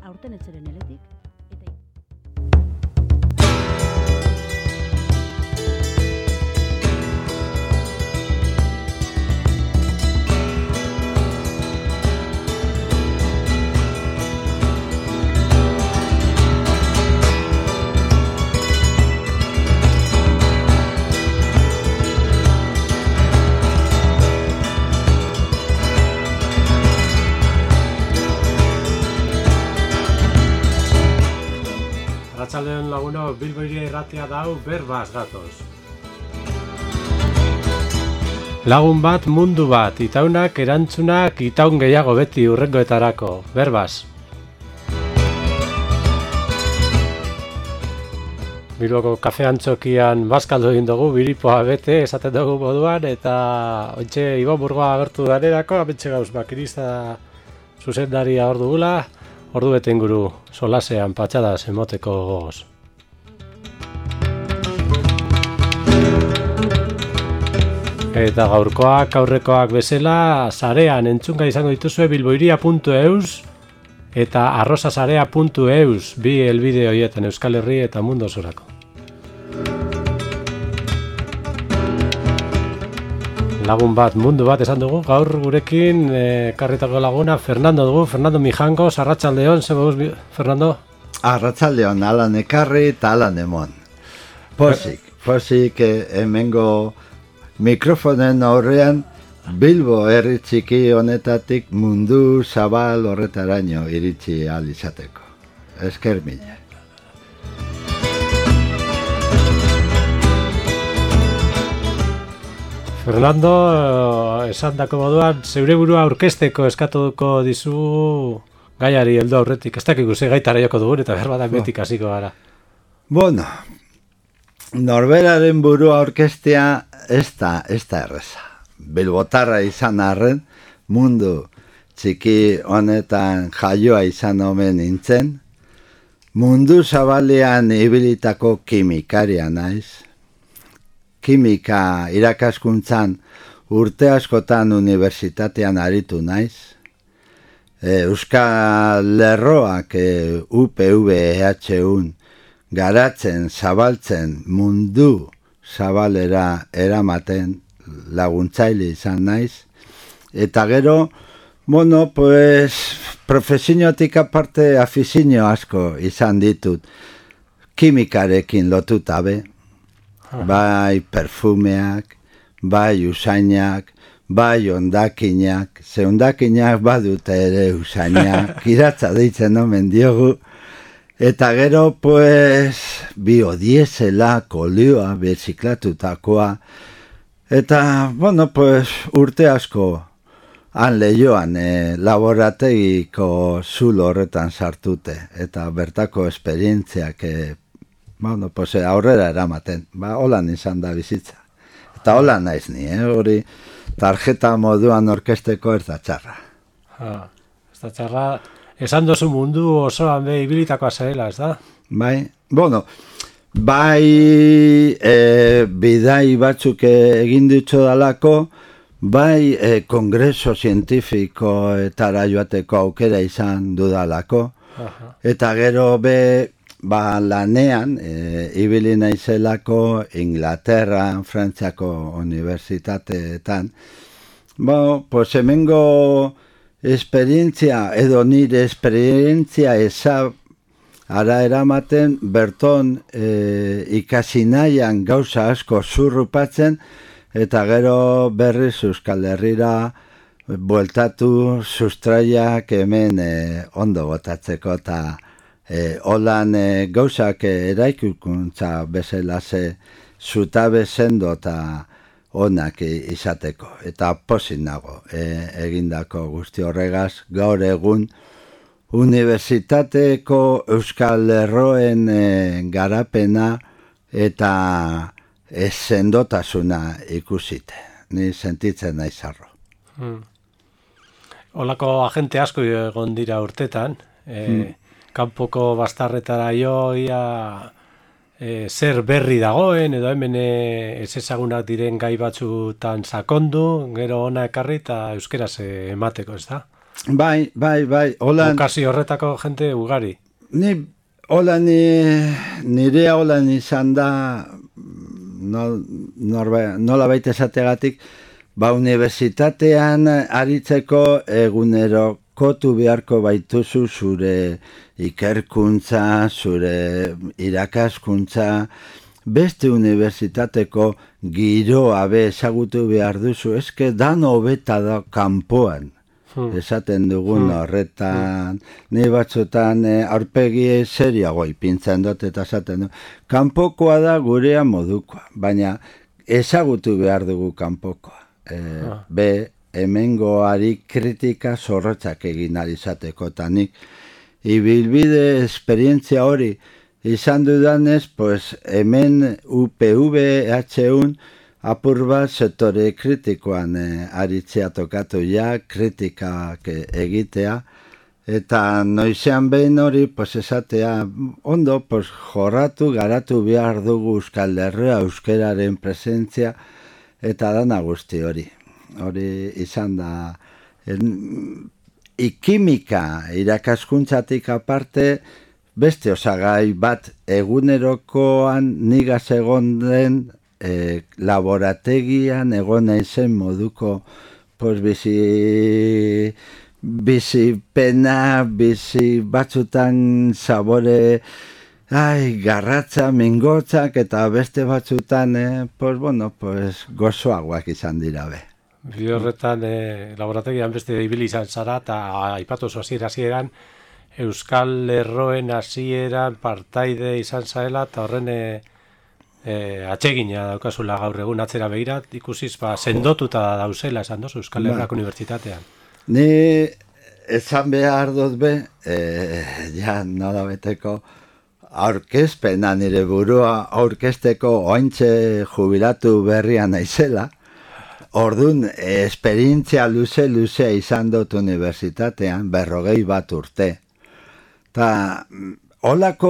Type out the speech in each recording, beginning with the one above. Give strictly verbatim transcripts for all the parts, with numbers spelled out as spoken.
aurten etzeren eletik, eta Arratsaldeon lagunok, Bilbo Hiria Irratia dau berbaz gatoz. Lagun bat, mundu bat, itaunak, erantzunak, itaun gehiago beti urrengoetarako, berbaz. Bilboko kafe antzokian bazkaldu egin dugu, biripoa bete, esaten dugu moduan, eta ontxe Ibon Burgoa agertu danerako, ametxe gauz bakirista zuzendaria hor dugula, ordu bete inguru solasean patxadas emoteko gogoz. Eta gaurkoak, aurrekoak bezala, sarean entzunga izango dituzue bilbohiria puntu eus eta arrosasarea puntu eus, bi helbide horietan Euskal Herri eta mundu osorako. Lagun bat, mundu bat esan dugu, gaur gurekin ekarritako laguna Fernando dugu, Fernando Mijangos, arratsaldeon, ze moduz, Fernando? Arratsaldeon, alan ekarri eta alan emon. Pozik, pozik hemengo mikrofonen aurrean Bilbo herri txiki honetatik mundu zabal horretaraino iritsi ahal izateko. Esker mila. Fernando, esan dako moduan, zeure burua aurkezteko eskatuko dizu gaiari heldu aurretik. Ez dakik guze gaitara joko dugun eta behar badak betik hasiko gara. Bueno, norberaren burua aurkeztea ez da, ez da erreza. Bilbotarra izan arren, mundu txiki honetan jaioa izan omen nintzen, mundu zabalean ibilitako kimikaria naiz, kimika irakaskuntzan urte askotan unibertsitatean aritu naiz. Euskal Lerroak U P V E H un garatzen, zabaltzen, mundu zabalera eramaten laguntzaile izan naiz. Eta gero, bueno, pues, profesiotik aparte afizinio asko izan ditut kimikarekin lotuta be. Bai perfumeak, bai usainak, bai ondakinak, ze ondakinak badute ere usainak, iratza deitzen omen diogu, eta gero, pues, biodiesela, kolioa, beziklatutakoa, eta, bueno, pues, urte asko han lehioan eh, laborategiko zulo horretan sartute, eta bertako esperientziak eh, bueno, pues aurrera eramaten, ba, holan izan da bizitza. Eta holan naiz ni, eh? Hori tarjeta moduan orkesteko ez da txarra. Ha, ez da txarra, esan dozu mundu osoan be ibilitakoa zarela, ez da? Bai, bueno, bai e, bidai batzuk egin ditxo dalako, bai e, kongreso zientifikoetara joateko aukera izan dudalako, aha. Eta gero be, ba, lanean, e, ibili naizelako Inglaterra, Frantziako unibertsitateetan, bo, pues hemengo esperientzia, edo nire esperientzia eza ara eramaten, berton e, ikasi nahian gauza asko zurrupatzen, eta gero berriz Euskal Herrira bueltatu sustraiak hemen e, ondo botatzeko eta E, holan e, gauzak eraikuntza bezala ze zutabe sendo eta onak izateko. Eta pozik nago e, egindako guzti horregaz, gaur egun unibertsitateko Euskal Lerroen e, garapena eta e, sendotasuna ikusite. Ni sentitzen naiz harro. Hmm. Olako agente asko egon dira urtetan, e, hmm. kanpoko bastarretara jo, ia e, zer berri dagoen, edo hemen e, ez ezagunak diren gai batzutan sakondu, gero ona ekarri eta euskeraz emateko, ez da? Bai, bai, bai, holan... Bokazio horretako jente ugari. Ni, holan, nirea holan izan da, no, norba, nola baita esategatik, ba, unibertsitatean aritzeko egunerokotu beharko baituzu zure ikerkuntza, zure irakaskuntza, beste unibertsitateko giroa be ezagutu behar duzu, eske dan hobeta da kanpoan. Hmm. Esaten dugun hmm. horretan, ni batzutan e, aurpegi seriago ipintzen dut eta esaten du. Kanpokoa da gurea modukoa, baina ezagutu behar dugu kanpokoa. E, ah. Be, hemengoari kritika zorrotzak egin ari izateko, eta nik ibilbide esperientzia hori izan dudanez, pues, hemen U P V H un apur bat sektore kritikoan eh, aritzea tokatu ja, kritikak egitea, eta noizean behin hori, pues, esatea, ondo, pues, jorratu, garatu behar dugu Euskal Herria, euskeraren presentzia, eta dana guzti hori. Hori izan da, en, ikimika irakaskuntzatik aparte, beste osagai bat egunerokoan nigaz egon den e, laborategian egon naizen moduko pues, bizi, bizi pena, bizi batzutan sabore ai, garratza, mingotzak eta beste batzutan eh, pues, bueno, pues, gozoagoak izan dira be. Bi horretan eh, laborategian beste ibili izan zara eta aipatu hasiera hasieran Euskal Lerroen hasieran partaide izan zaela eta horren e, e, atsegina daukazula gaur egun atzera begirat, ikusiz ba, sendotuta dauzela esan dozu Euskal Herriako Unibertsitatean. Ni esan behar dut be, e, ja nola beteko aurkezpena nire burua aurkezteko ointxe jubilatu berria naizela, orduan esperientzia luze-luze izan dut unibertsitatean, berrogei bat urte. Ta, holako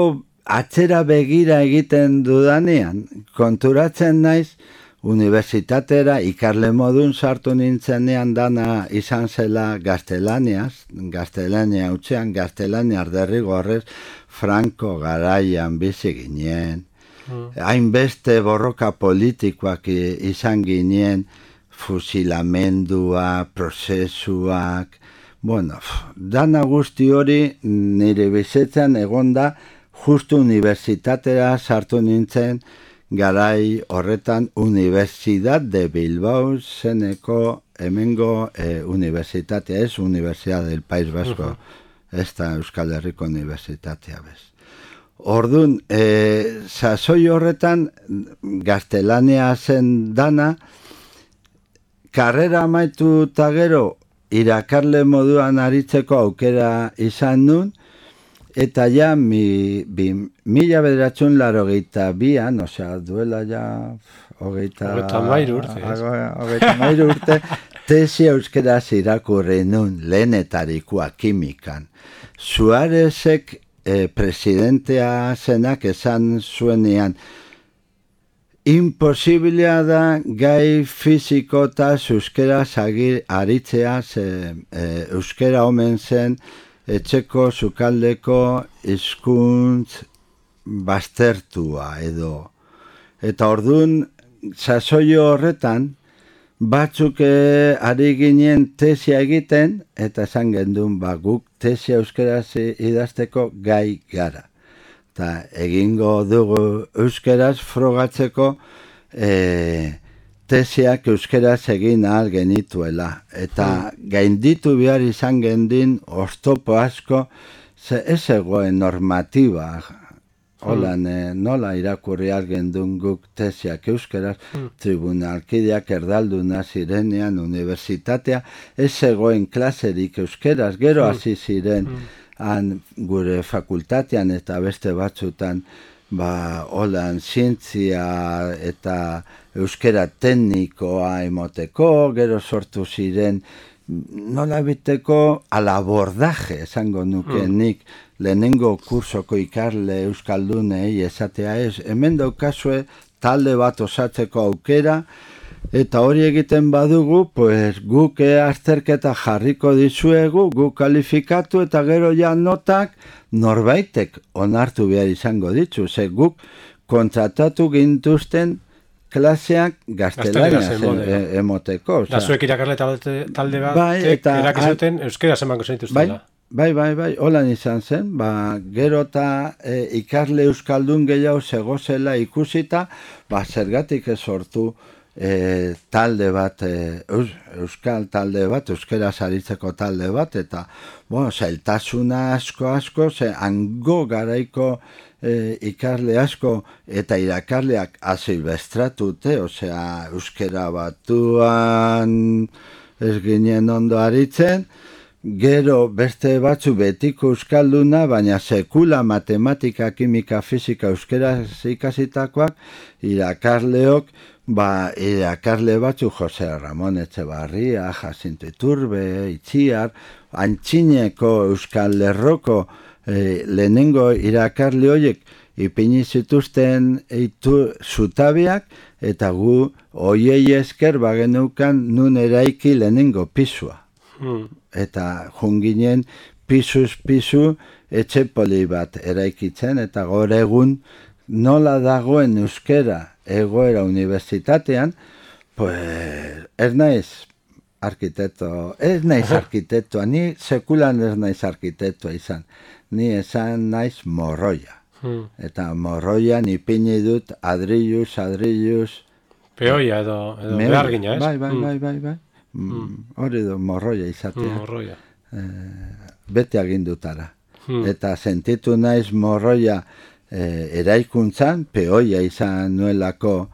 atzera begira egiten dudanean, konturatzen naiz, unibertsitatera ikarle modun sartu nintzenean dana izan zela gaztelaniaz, gaztelania utzean, gaztelania derrigorrez, Franco garaian bizi ginen, hainbeste mm. borroka politikoak izan ginen, fusilamendua, prozesuak, bueno, dana guzti hori nire bizitzan egonda justu unibertsitatera sartu nintzen garai horretan Universidad de Bilbao zeneko hemengo eh, unibertsitatea, ez Universidad del País Vasco, uh-huh. ez da Euskal Herriko Unibertsitatea bez. Orduan, eh, sasoi horretan gaztelania zen dana, karrera amaitu eta gero irakarle moduan aritzeko aukera izan nun, eta ja mi, bi, mila bederatzun laro geita bian, osea, duela ja hogeita mairu urte, hogeita mairu urte, tesi euskeraz irakurri nun lehenetarikoa kimikan. Suarezek eh, presidentea zenak esan zuenean, imposiblea da gai fiziko eta euskeraz aritzea, ze, e, euskera omen zen etxeko sukaldeko hizkuntz baztertua edo. Eta orduan, sasoio horretan, batzuk e, ari ginen tesia egiten, eta esan gendun, ba, guk tesia euskeraz idazteko gai gara. Eta egingo dugu euskeraz frogatzeko e, tesiak euskeraz egin ahal genituela. Eta mm. gainditu behar izan gendin oztopo asko, ze ez egoen normatiba. Holan, mm. e, nola irakurri ahal gendun guk tesiak euskeraz, mm. tribunalkideak erdalduna zirenean, unibertsitatea, ez egoen klaserik euskeraz, gero hasi mm. ziren, mm. han gure fakultatean eta beste batzutan ba, holan zientzia eta euskera teknikoa emoteko, gero sortu ziren nola biteko alabordaje, esango nuke mm. nik lehenengo kursoko ikarle euskaldunei esatea ez, hemen daukazue talde bat osatzeko aukera, Eta hori egiten badugu, pues guk azterketa jarriko dizuegu, guk kalifikatu eta gero ja notak norbaitek onartu behar izango ditzu. Ze guk kontratatu gintuzten klaseak gaztelaniaz e, emoteko. Da zuek irakarle talde bat, bai, eta erakizuten euskera zemango zenituztela. Bai, bai, bai, holan izan zen, ba, gero eta e, ikarle euskaldun gehiago zegozela ikusita, ba, zergatik ez sortu e, talde bat, e, eus, euskal talde bat, euskera saritzeko talde bat, eta, bueno, zailtasuna asko asko, ze hango garaiko e, ikarle asko eta irakarleak azilbestratute, osea, euskera batuan ez ginen ondo aritzen, gero beste batzu betiko euskalduna, baina sekula matematika, kimika, fizika, euskera ikasitakoak, irakarleok, ba, irakarle batzu Jose Ramon Etxebarria, Jacinto Iturbe, Itziar, Antxineko Euskal Lerroko e, lehenengo irakarle horiek ipini zituzten eitu zutabiak, eta gu hoiei esker bagenukan nun eraiki lehenengo pisua. Hmm. Eta junginen pisuz pisu etxe poli bat eraikitzen, eta gaur egun nola dagoen euskera egoera unibertsitatean, pues ez naiz arkitekto, ez naiz arkitektoa, ni sekulan ez naiz arkitektoa izan, ni esan naiz morroia. Hmm. Eta morroian ipini dut adriluz, adriluz... Peoia edo, edo behargina, ez? Bai, bai, bai, bai, bai. Mm. Hori do morroia izatea. Mm, morroia. Eh, bete agindutara. Hmm. Eta sentitu naiz morroia eh, eraikuntzan, peoia izan nuelako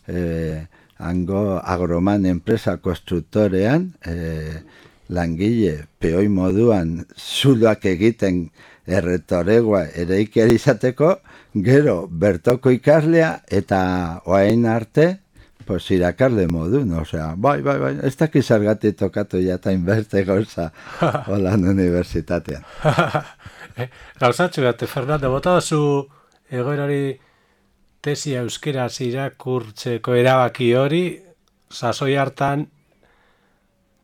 eh, hango agroman enpresa konstruktorean, eh, langile peoi moduan zuloak egiten erretoregoa eraikiari izateko, gero bertoko ikaslea eta oain arte, pues irakarle modu, no? Osea, bai, bai, bai, ez dakiz zergatik tokatu jatain beste gauza holan unibertsitatean. Gauzatxo bat, Fernando, bota zu egoerari tesia euskeraz irakurtzeko erabaki hori, sasoi hartan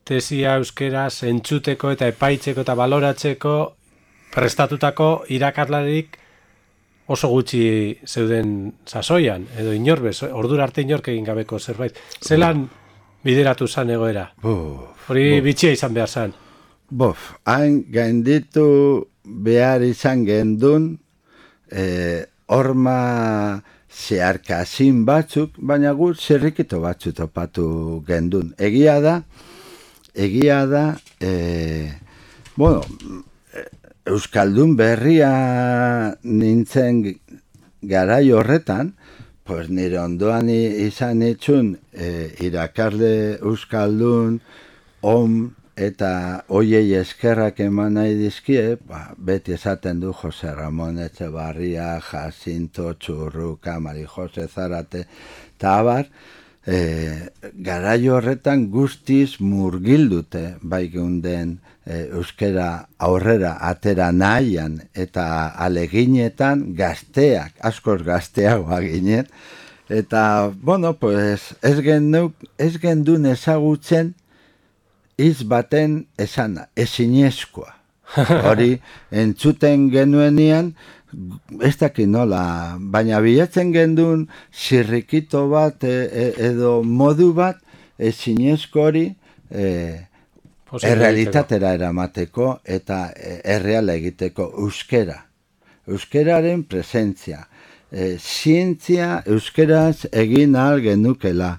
tesia euskeraz entzuteko eta epaitzeko eta baloratzeko prestatutako irakarlarik oso gutxi zeuden sasoian, edo inorbez, ordura arte inork egin gabeko zerbait. Zelan bideratu zan egoera? Hori bitxia izan behar zan. Bof, hain gainditu behar izan gendun, eh, horma zeharkazin batzuk, baina gut zerrikito batzu topatu gendun. Egia da, egia da, eh, bueno, euskaldun berria nintzen garai horretan, pues nire ondoan izan itxun e, irakarle euskaldun, om eta hoiei eskerrak eman nahi dizkie, ba, beti esaten du Jose Ramon Etxebarria, Jacinto Txurruka, Mari Jose Zarate, eta abar, e, garai horretan guztiz murgildute bai geunden e, euskera aurrera atera nahian eta aleginetan gazteak, askoz gazteagoa ginen, eta, bueno, pues ez genduk, ez gendun ezagutzen hitz baten esana, ezinezkoa. Hori entzuten genuenian, ez dakit nola, baina bilatzen gendun zirrikito bat e, e, edo modu bat ezinezko hori e, errealitatera eramateko eta erreala egiteko euskera. Euskeraren presentzia. E, zientzia euskeraz egin ahal genukela.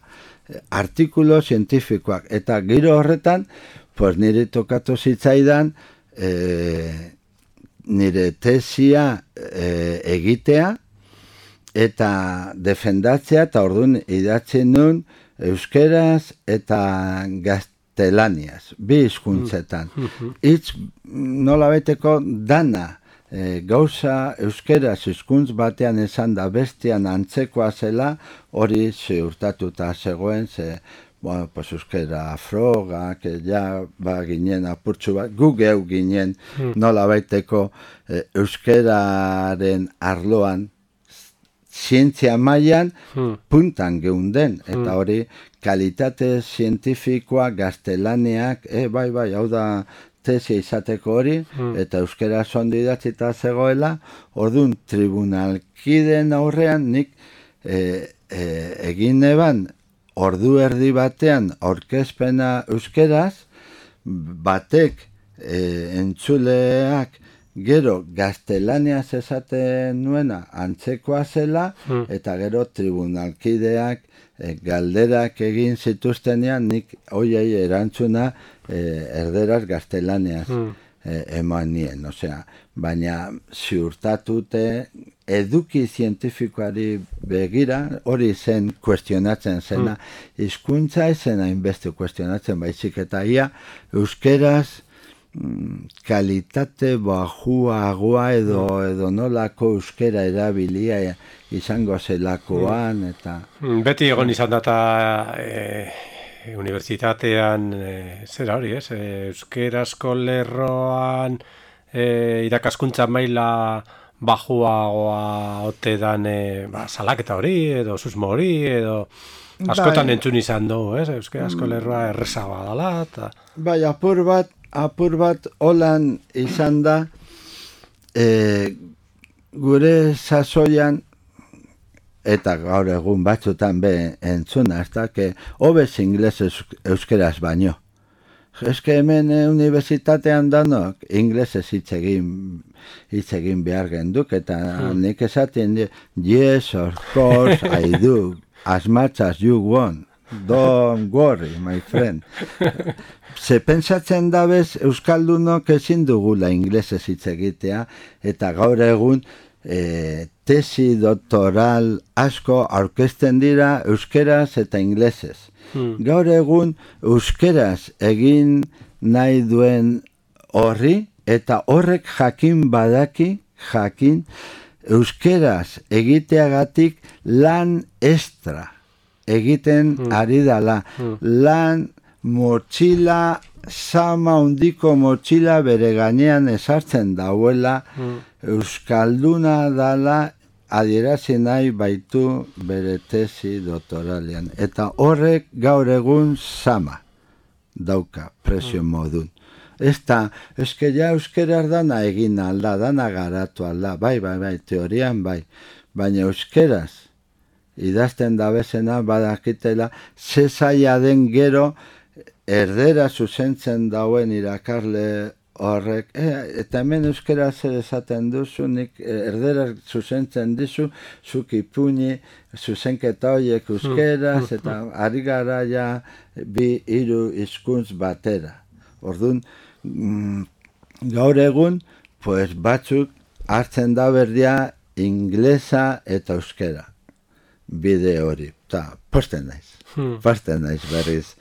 Artikulo zientifikoak. Eta giro horretan, pues nire tokatu zitzaidan, e, nire tesia e, egitea eta defendatzea, eta orduan idatzen nun euskeraz eta gaztelaniaz, bi hizkuntzetan. Hitz nola baiteko dana, e, gauza euskeraz hizkuntz batean esan da bestean antzekoa zela, hori ziurtatuta zegoen, ze, bueno, pues euskera froga, que ja ba ginen apurtxu bat, gu geu ginen nola baiteko e, euskeraren arloan zientzia mailan Hmm. puntan geunden, eta Hmm. hori kalitate zientifikoa gaztelaniak, e, bai, bai, hau da tesia izateko hori, Hmm. eta euskera ondo idatzita zegoela, orduan tribunalkideen aurrean nik e, e, egin eban ordu erdi batean aurkezpena euskeraz, batek e, entzuleak gero gaztelaniaz esaten nuena antzekoa zela, Hmm. eta gero tribunalkideak e, galderak egin zituztenean nik hoiei erantzuna e, erderaz gaztelaniaz Hmm. e, eman nien, osea, baina ziurtatute eduki zientifikoari begira hori zen kuestionatzen zena, hizkuntza ez zen hainbeste kuestionatzen, baizik eta ia euskeraz kalitate bajuagoa edo, edo nolako euskera erabilia izango zelakoan, eta... Beti egon izan data e, unibertsitatean, e, zera hori, ez? E, euskerazko lerroan e, irakaskuntza maila bajuagoa ote dan e, ba, salaketa hori, edo susmo hori, edo... Askotan Bai. entzun izan dugu, ez? Euskarazko lerroa errezagoa dela, eta... Bai, apur bat, apur bat holan izan da, e, gure sasoian, eta gaur egun batzutan be entzuna, ez da, que hobez ingles euskeraz baino. Ez que hemen eh, unibertsitatean danok inglesez hitz egin, hitz egin behar genduk, eta Hmm. nik esaten di, yes, of course, I do, as much as you want. Don't worry, my friend. Ze pentsatzen dabez euskaldunok ezin dugula inglesez hitz egitea, eta gaur egun e, tesi doktoral asko aurkezten dira euskeraz eta inglesez. Hmm. Gaur egun euskeraz egin nahi duen horri, eta horrek jakin badaki, jakin, euskeraz egiteagatik lan extra egiten ari dala. Lan motxila, sama hundiko motxila bere gainean esartzen dauela, euskalduna dala adierazi nahi baitu bere tesi doktoralean. Eta horrek gaur egun sama dauka presio modun. Ez da, eske ja euskeraz dana egin alda, dana garatu alda, bai, bai, bai, teorian bai, baina euskeraz idazten dabezena badakitela ze zaila den gero erdera zuzentzen dauen irakarle horrek, e, eta hemen euskera zer esaten duzu, nik erdera zuzentzen dizu, zuk ipuñi, zuzenketa horiek euskeraz, eta ari gara ja bi hiru hizkuntz batera. Orduan, mm, gaur egun, pues batzuk hartzen da berdia inglesa eta euskera. Bide hori, eta posten naiz, Hmm. posten naiz berriz.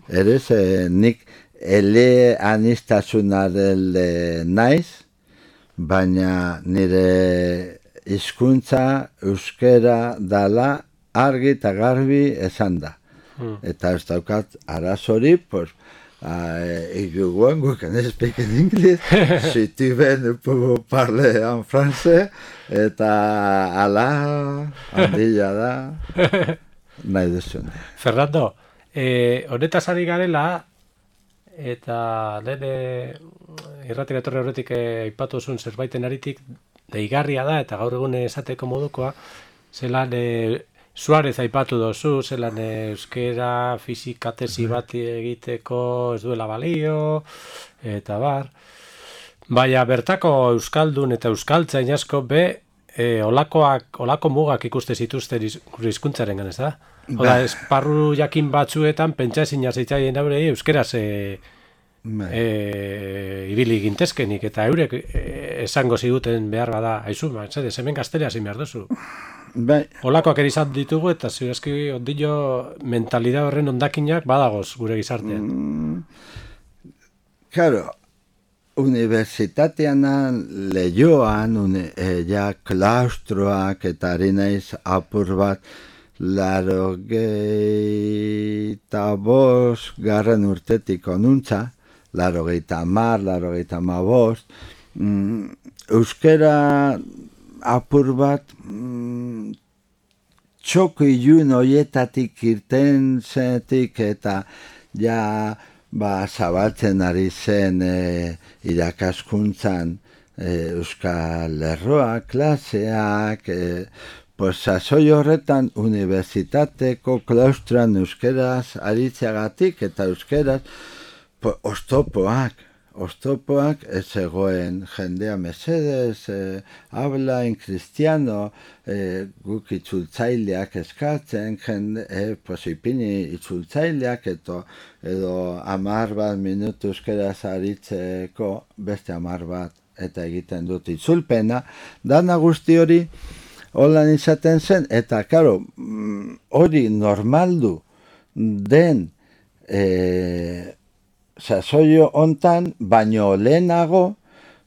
Erez, eh, nik ele anistasunarele naiz, baina nire hizkuntza euskera dala argi eta garbi esan da. Hmm. Eta ez daukat arazori, pues, Uh, if you want, we can speak in English. Si tu veux, nous pouvons parler en français. Eta ala, handila da, nahi duzun. Fernando, eh, honetaz ari garela, eta lehen eh, irratira etorri horretik eh, aipatu zuen zerbaiten aritik, deigarria da, eta gaur egun esateko modukoa, zelan eh, Suarez aipatu dozu, zelan eh, euskera, fisika tesi bat egiteko ez duela balio, eta bar. Baina bertako euskaldun eta euskaltzain asko be, e, olakoak, olako mugak ikuste zituzten iz, gure hizkuntzaren ganez da. Oda, esparru jakin batzuetan pentsa ezin zitzaien aurrei euskeraz e, e, ibili gintezkenik, eta eurek e, esango ziguten behar bada, haizu, zede, hemen gaztelea zin behar duzu. Bai, Olakoak ere izan ditugu, eta zirazki ondillo mentalidad horren ondakinak badagoz gure gizartean. Mm, claro, unibertsitatean lehioan, une, e, ja klaustroak eta ari naiz apur bat, laro geita bos garren urtetik onuntza, laro geita mar, laro geita ma bost, mm, euskera apur bat mm, txoko ilun hoietatik irten zenetik eta ja ba, zabaltzen ari zen e, irakaskuntzan e, Euskal Lerroak, klaseak, e, pues sasoi horretan unibertsitateko klaustran euskeraz aritzeagatik eta euskeraz pues, ostopoak, ostopoak ez egoen jendea mesedez, eh, habla en cristiano, eh, guk itzultzaileak eskatzen, jende, eh, pues ipini itzultzaileak eto, edo amar bat minutu euskeraz aritzeko beste amar bat eta egiten dut itzulpena, dana guzti hori holan izaten zen, eta karo, hori normaldu den eh, sasoio hontan, baino lehenago,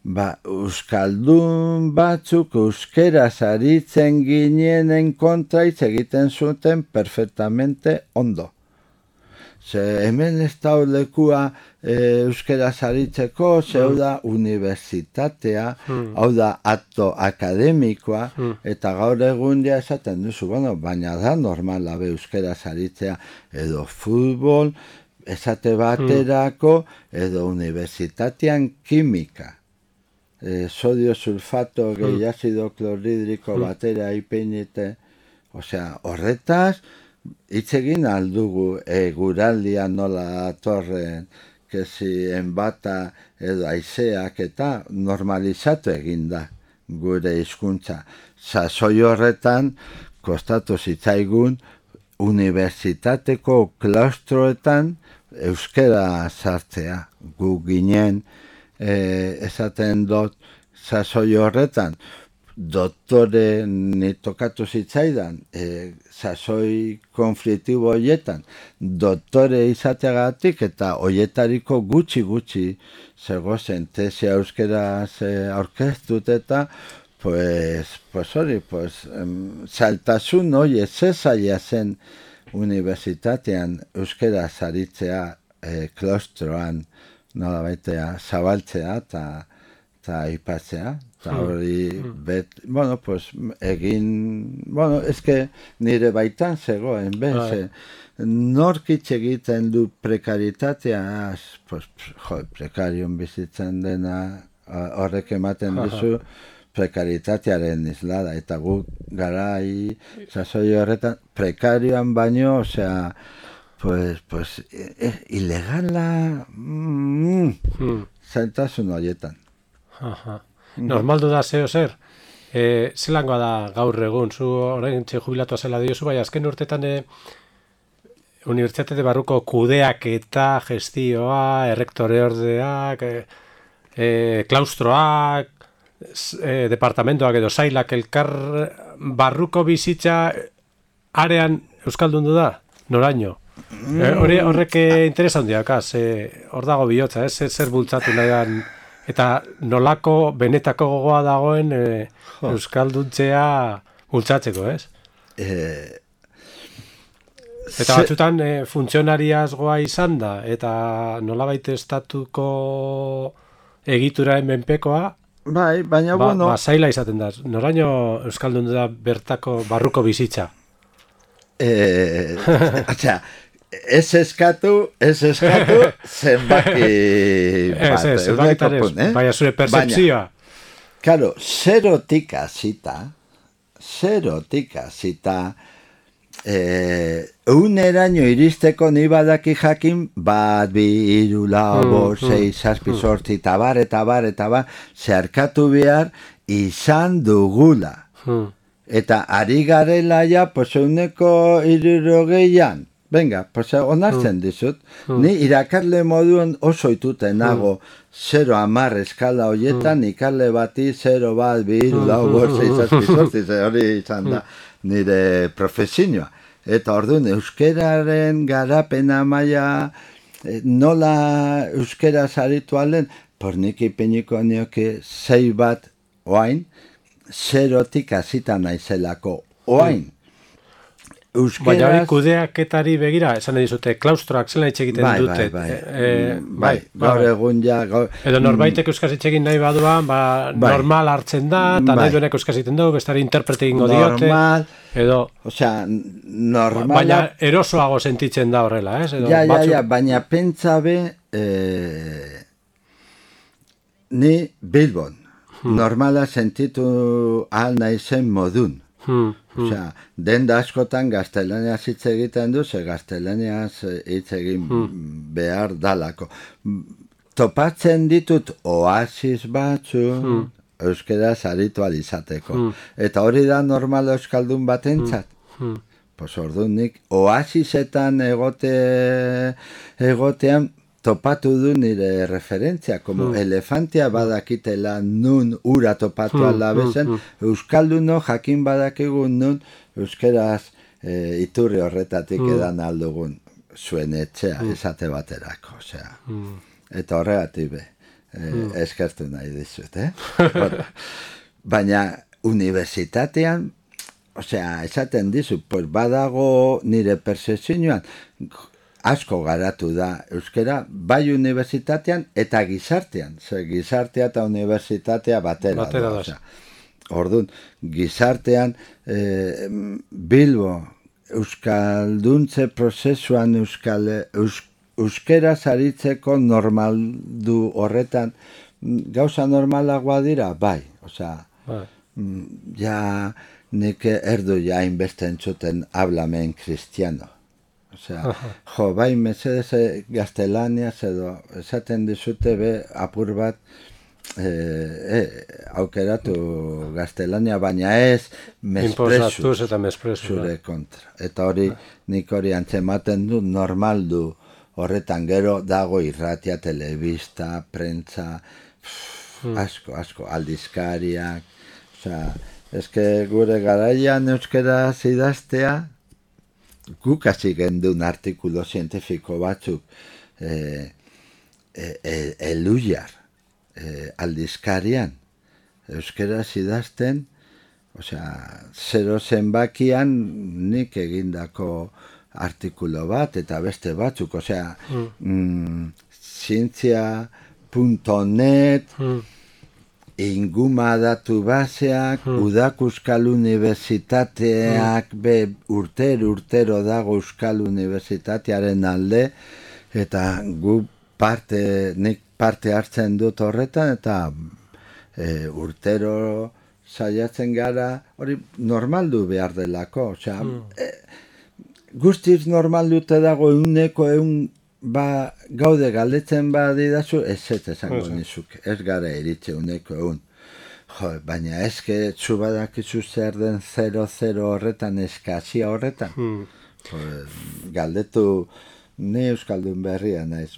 ba, euskaldun batzuk euskeraz aritzen ginenen kontra hitz egiten zuten perfectamente ondo. Ze hemen ez da lekua e, euskeraz aritzeko, zeu da unibertsitatea, mm. hau da akto akademikoa, mm. eta gaur egun ja esaten duzu, bueno, baina da normala be euskeraz aritzea, edo futbol, esate baterako, edo unibertsitatean kimika. E, sodio sulfato gehi azido kloridriko batera ipinite, osea, horretaz, hitz egin aldugu e, guraldia nola atorren, kezi enbata edo aizeak eta normalizatu egin da gure hizkuntza. Sasoi horretan, kostatu zitzaigun, unibertsitateko klaustroetan euskera sartzea. Gu ginen e, esaten dut sasoi horretan, doktore ni tokatu zitzaidan, e, sasoi konfliktibo horietan, doktore izateagatik eta horietariko gutxi-gutxi zegozen tesia euskeraz e, aurkeztut eta pues, pues hori, pues, em, saltasun hori ezezaila zen unibertsitatean euskeraz aritzea e, klostroan nola baitea zabaltzea eta eta aipatzea. Eta hori, bet, bueno, pues, egin, bueno, eske nire baitan zegoen, bez, nork hitz egiten du prekaritatea, pues, jo, prekarion bizitzen dena, horrek ematen dizu, prekaritatearen islada, eta guk garai, sasoi horretan, prekarioan baino, osea, pues, pues, eh, ilegala, mm, zailtasun horietan. Aha. Normaldu da zeo zer, e, zelangoa da gaur egun, zu orain txe jubilatua zela diozu, bai azken urtetan e, unibertsitate barruko kudeak eta gestioa, errektore ordeak, e, e, klaustroak, e, departamentoak edo zailak elkar barruko bizitza arean euskaldundu da, noraino? E, hori horrek interesa handiak, hor dago bihotza, ez, zer bultzatu nahian, eta nolako benetako gogoa dagoen e, euskalduntzea bultzatzeko, ez? Eh, eta batzutan e, funtzionariazgoa izan da, eta nolabait estatuko egituraren menpekoa, bai, baina ba, bueno, ba, zaila izaten da. Noraino euskaldun da bertako barruko bizitza? Eh, atxa, ez eskatu, ez eskatu, zenbaki bat. Ez, ez, zenbakitarez, eh? Baina zure percepzioa. Karo, zerotik hasita, zerotik hasita, eh, uneraino iristeko ni badaki jakin, bat, bi, hiru, lau, bost, sei, zazpi, zortzi, eta bar, eta bar, eta bar, zeharkatu behar izan dugula. Hmm. Eta ari garela ja, pues, euneko hirurogeian, venga, pues, onartzen dizut, mm. ni irakarle moduen oso ituten nago, zero amar eskala horietan, mm. ikarle bati zero bat, bi, hiru, lau, bost, sei, zazpi, zortzi, hori izan da nire profesioa. Eta orduan, euskeraren garapena maila, nola euskera zaritu alen, por nik ipiniko nioke zei bat oain, zerotik hasita naizelako oain. euskeraz... Baina hori kudeaketari begira, esan dizute, klaustroak zela hitz egiten bai, dute. Bai, bai, e, bai, gaur egun ja... Gaur, edo norbaitek euskaz hitz egin nahi baduan, ba, bai, normal hartzen da, eta bai, nahi duenek euskaz egiten dugu, bestari interprete egingo diote. Normal, edo, osea, normal... Baina erosoago sentitzen da horrela, ez? Edo, ja, ja, batzuk... ja, baina pentsa be, eh, ni Bilbon, hmm. normala sentitu ahal naizen modun. Hmm, hmm. Osea, denda askotan gaztelaniaz hitz egiten du, ze gaztelaniaz hitz egin hmm. behar dalako. Topatzen ditut oasis batzu, hmm. euskaraz aritu alizateko. Hmm. Eta hori da normal euskaldun batentzat. Hmm. Hmm. Pues orduan nik oasisetan egote, egotean topatu du nire referentzia, como mm. elefantea badakitela nun ura topatu mm, alda bezen, mm, mm. euskalduno jakin badakigu nun euskeraz e, iturri horretatik mm. edan aldugun zuen etxea, mm. esate baterako, osea. Mm. Eta horregatik be, e, mm. eskertu nahi dizut, eh? Baina unibertsitatean, osea, esaten dizut, pues badago nire persezioan, asko garatu da euskera, bai unibertsitatean eta gizartean. Ze gizartea eta unibertsitatea batera. batera da. Orduan, gizartean eh, Bilbo euskalduntze prozesuan euskal, eus, euskera zaritzeko normaldu horretan gauza normalagoa dira, bai. Osea, bai. Ja nik erdu ja inbeste entzuten hablamen kristiano. Osea, jo, bai, mesedez gaztelaniaz edo esaten dizute be apur bat e, e, aukeratu gaztelania, baina ez mespresu zure kontra. Eta hori, nik hori antzematen du, normal du horretan gero dago irratia, telebista, prentza, pff, asko, asko, aldizkariak. Osea, eske gure garaian euskera idaztea, guk hasi gendun artikulo zientifiko batzuk eh, eh, eluiar eh, aldizkarian euskera idazten, osea, zero zenbakian nik egindako artikulo bat eta beste batzuk, osea, mm. mm, zientzia punto net, mm. inguma datu baseak, hmm. udak Euskal Unibertsitateak, hmm. be urtero urtero dago Euskal Unibertsitatearen alde, eta gu parte, nik parte hartzen dut horretan, eta e, urtero saiatzen gara, hori normaldu behar delako, osea, hmm. e, guztiz normaldute dago euneko eun, ba, gaude galdetzen badidazu, ez ez esango nizuk, ez gara eritze uneko egun. Jo, baina eske txu badakizu zer den zero zero horretan, eskazia horretan. Hmm. Pues, galdetu, ne euskaldun berria naiz,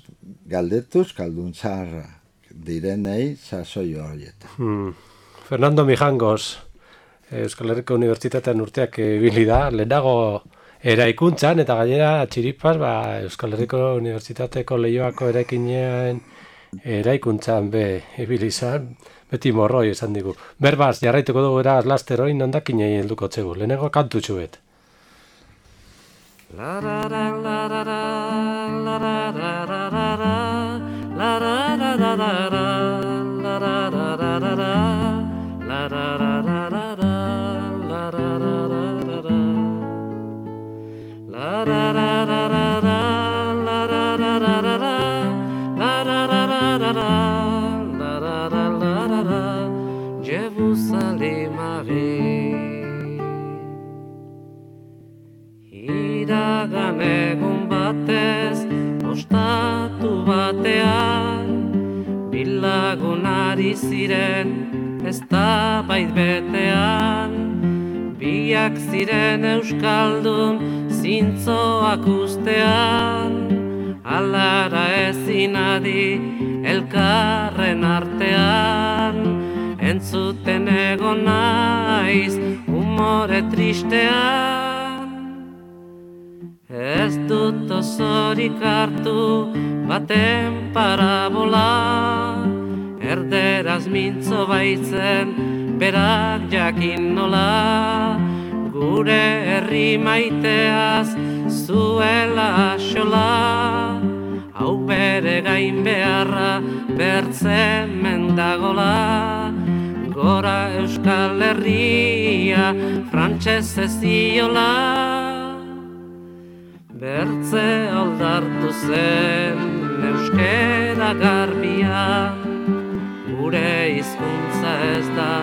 galdetu euskaldun zaharra direnei sasoi horietan. Hmm. Fernando Mijangos, Euskal Herriko Unibertsitatean urteak ibili da, lehenago eraikuntzan, eta gainera txiripaz, ba, Euskal Herriko Unibertsitateko Leioako eraikinean eraikuntzan be ibili izan, beti morroi esan digu. Berbaz, jarraituko dugu eraz laster hori nondakinei helduko txegu, lehenengo kantu txuet. La la la la la la la la la la la la la la la la la la Iragan egun batez, ostatu batean, bilagun ari ziren, ez da bait betean, biak ziren euskaldun, zintzoak ustean, alara ezin adi, elkarren artean, entzuten egon naiz, umore tristean. Ez dut osorik hartu baten parabola, erderaz mintzo baitzen berak jakin nola, gure herri maiteaz zuela xola, hau bere gain beharra bertze mendagola, gora Euskal Herria frantses ez diola, bertze aldartu zen euskera garbia, gure hizkuntza ez da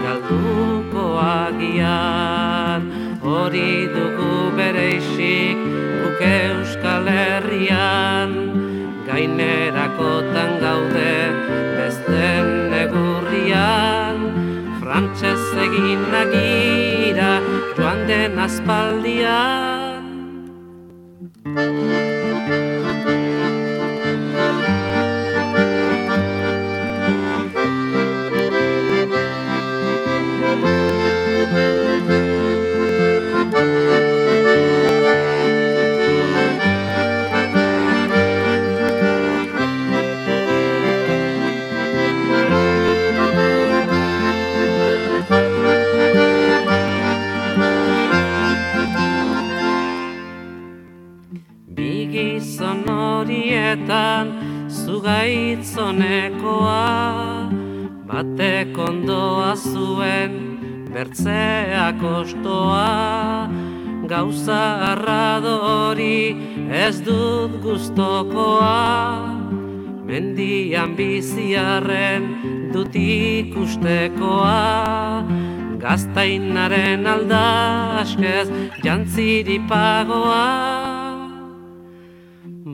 galduko agian, hori dugu bereizik guk Euskal Herrian, gainerakotan gaude besten negurrian, frantses egin agira joan den aspaldian. Gizon horietan zugaitzonekoa, batek ondoa zuen bertzeak ostoa, gauza arradori ez dut gustokoa, mendian biziarren dut ikustekoa, gaztainaren aldaskez jantziripagoa,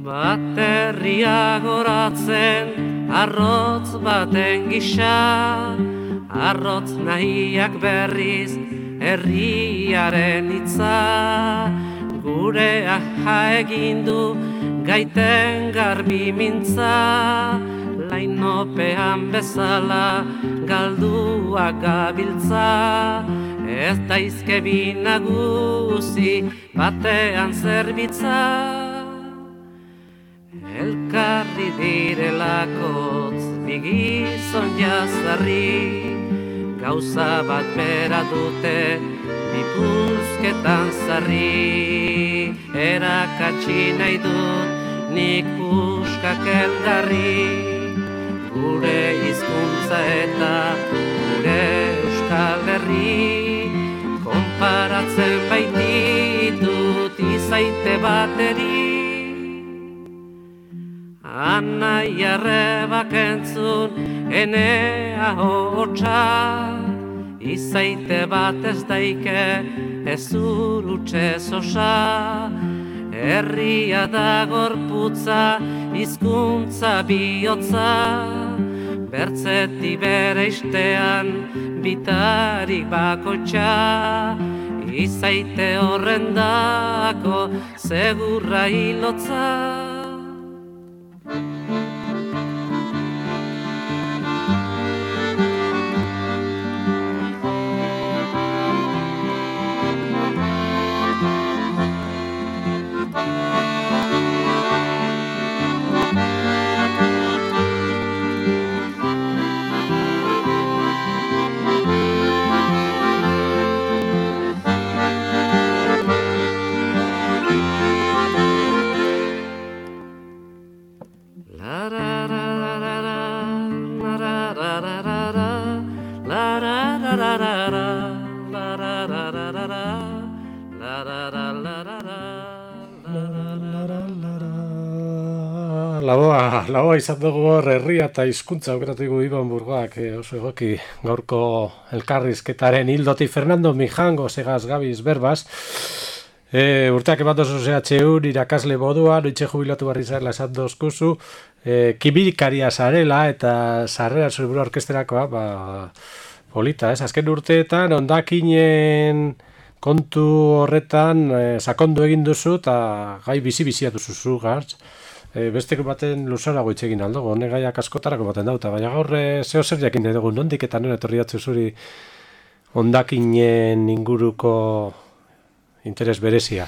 baterria goratzen arrotz baten gisa, arrotz nahiak berriz herriaren hitza, gure aha egin du gaiten garbi mintza, lainopean bezala galduak gabiltza, ez daizke bi nagusi batean zerbitza. Elkarri direlakotz bigizon jazarri, gauza bat bera dute bipuzketan zarri, erakatsi nahi dut nik puskak elgarri, gure hizkuntza eta gure Euskal Herri, konparatzen baititut izaite bateri. Anai arrebak entzun enea hotxa, izaite bat ez daike ez urutxe zosa, herria da gorputza hizkuntza bihotza, bertzeti bere istean bitarik bakotxa, izaite horrendako segurra hilotza. Laboa, laboa izan dugu hor herria eta hizkuntza aukeratuko Iban Burgoak, eh, oso egoki gaurko elkarrizketaren hildotik Fernando Mijango segaz gabiz berbaz. E, urteak eman dozu Z H U irakasle moduan, oitxe jubilatu barri zarela esan dozkuzu, e, kibirikaria zarela eta sarrera zure orkesterakoa, ba, polita, ez? Azken urteetan ondakinen kontu horretan e, sakondu egin duzu eta gai bizi-bizia duzu gartz. E, besteko baten luzarago itxegin aldo, hone gaiak askotarako baten dauta, baina gaur e, zeo zer jakin dugu, nondik eta nire etorri datzu zuri ondakinen inguruko interes berezia.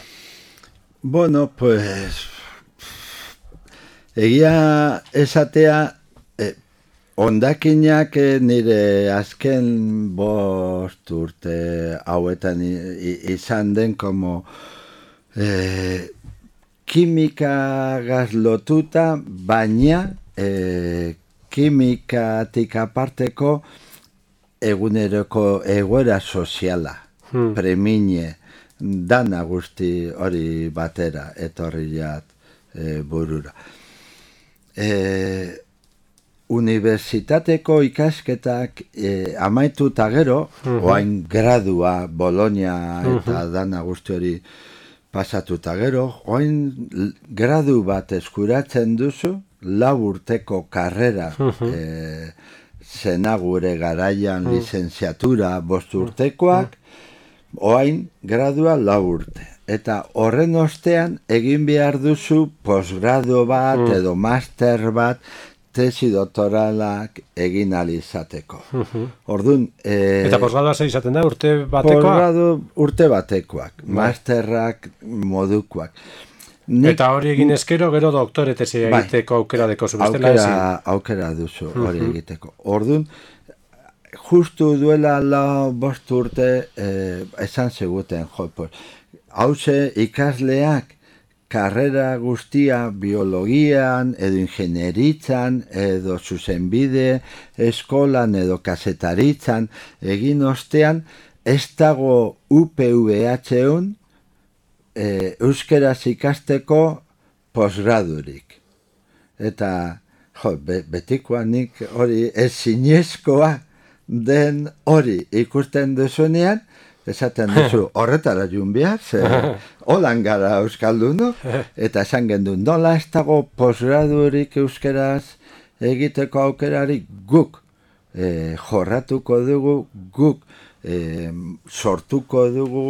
Bueno, pues egia esatea eh, ondakinak nire azken bo bost urte hauetan izan den como eh, kimikagaz lotuta, baina eh, kimikatik aparteko eguneroko egoera soziala, hmm. premine, dana guzti hori batera, etorri jat e, burura. E, Unibertsitateko ikasketak e, amaitu eta gero, uh-huh. oain gradua, Bologna eta uh-huh. dana guzti hori pasatu eta gero, oain gradu bat eskuratzen duzu, lau urteko karrera, uh-huh. e, zena gure garaian uh-huh. lizenziatura bost urtekoak, uh-huh. oain gradua lau urte. Eta horren ostean egin behar duzu posgrado bat uh-huh. edo master bat, tesi doktoralak egin alizateko. Uh-huh. Orduan... E, eta posgradoa ze izaten da, urte batekoak? Posgrado urte batekoak, bai. Masterrak modukoak. Nik, eta hori egin eskero, gero doktore tesi bai. Egiteko aukera deko zubestela aukera, ezin? Aukera duzu hori uh-huh. egiteko. Orduan, justu duela la bost urte eh, esan zeguten, jo, pues, hauze ikasleak karrera guztia biologian, edo ingenieritzan, edo zuzenbide, eskolan edo kazetaritzan, egin ostean, ez dago U P V H-un e, euskeraz ikasteko posgradurik. Eta, jo, be, betikoa nik hori ez zinezkoa den hori ikusten duzunean, esaten duzu, horretara jun behar, ze holan gara euskaldun, eta esan gendun, nola ez dago posgradurik euskeraz egiteko aukerarik guk e, jorratuko dugu, guk e, sortuko dugu,